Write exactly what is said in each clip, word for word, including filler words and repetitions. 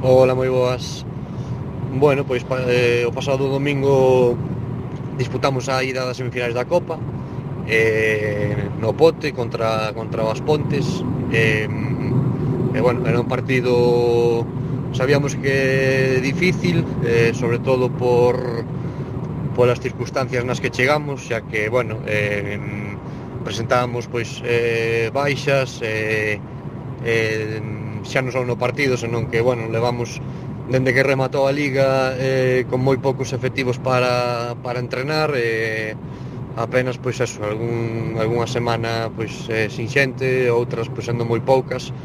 Ola, moi boas. Bueno, pois pa, eh, o pasado domingo disputamos a ida das semifinais da Copa eh, no Pote contra, contra o As Pontes eh, e bueno, era un partido sabíamos que difícil eh, sobre todo por polas circunstancias nas que chegamos, xa que bueno, eh, presentábamos pois eh, baixas eh, eh, xa non só no partido, senón que bueno, levamos dende que rematou a Liga eh, con moi poucos efectivos para, para entrenar eh, apenas pois eso, algún, algunha semana pois eh, sin xente, outras pois sendo moi poucas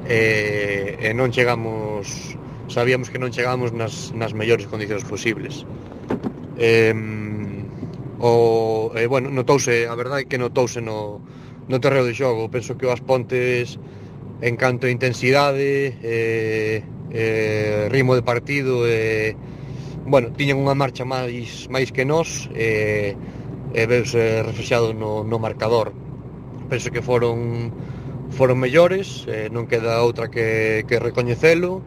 eh, e non chegamos, sabíamos que non chegamos nas, nas mellores condicións posibles. Eh, o, eh, bueno, notouse, a verdade é que notouse no, no terreo de xogo. Penso que o As Pontes en canto a intensidade eh, eh, ritmo de partido eh, bueno, tiñan unha marcha máis máis que nós eh, e veuse reflexado no, no marcador. Penso que foron foron mellores, eh, non queda outra que, que recoñecelo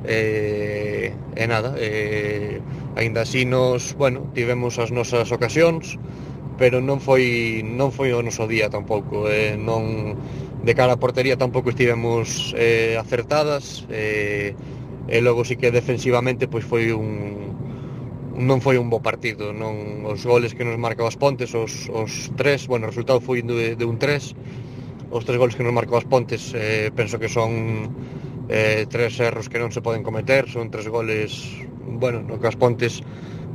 eh, e nada eh, aínda así nos, bueno, tivemos as nosas ocasións, pero non foi non foi o noso día tampouco, eh, non de cara a portería tampouco estivemos eh, acertadas eh, e logo sí que defensivamente pois foi un non foi un bo partido, non os goles que nos marcou As Pontes, os, os tres, bueno, o resultado foi de, de un tres, os tres goles que nos marcou As Pontes eh, penso que son eh, tres erros que non se poden cometer, son tres goles, bueno, no que As Pontes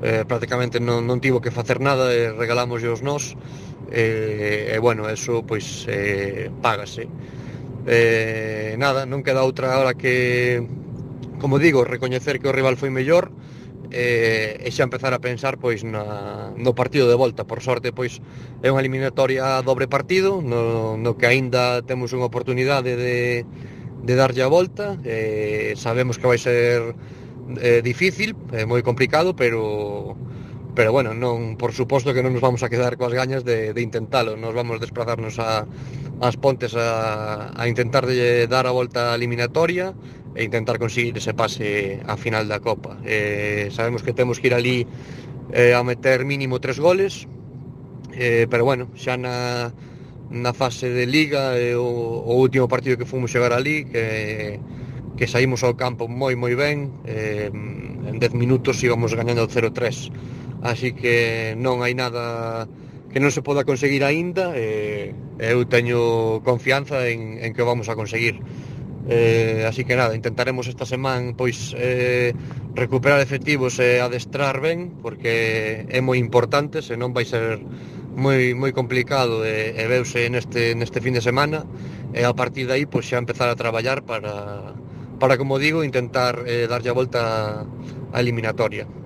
eh, prácticamente non, non tivo que facer nada e regalamos os nós e, e bueno, eso pois eh, págase eh, nada, non queda outra hora que, como digo, recoñecer que o rival foi mellor e, e xa empezar a pensar pois na, no partido de volta. Por sorte pois é unha eliminatoria a dobre partido no, no que aínda temos unha oportunidade de, de darlle a volta e sabemos que vai ser eh, difícil, é moi complicado, pero pero bueno, non, por suposto que non nos vamos a quedar coas gañas de, de intentalo. Nos vamos desplazarnos a As Pontes a, a intentar de dar a volta a eliminatoria e intentar conseguir ese pase a final da Copa. Eh, sabemos que temos que ir ali eh, a meter mínimo tres goles, eh, pero bueno, xa na, na fase de Liga eh, o, o último partido que fomos chegar ali, que, que saímos ao campo moi moi ben, eh, en dez minutos íbamos gañando cero tres, así que non hai nada que non se poda conseguir aínda, e eh, eu teño confianza en, en que o vamos a conseguir. Eh, así que nada, intentaremos esta semana pois eh, recuperar efectivos e adestrar ben, porque é moi importante, senón vai ser moi moi complicado e, e veuse neste, neste fin de semana, e a partir de aí pois xa empezar a traballar para, para como digo, intentar eh, darlle a volta a eliminatoria.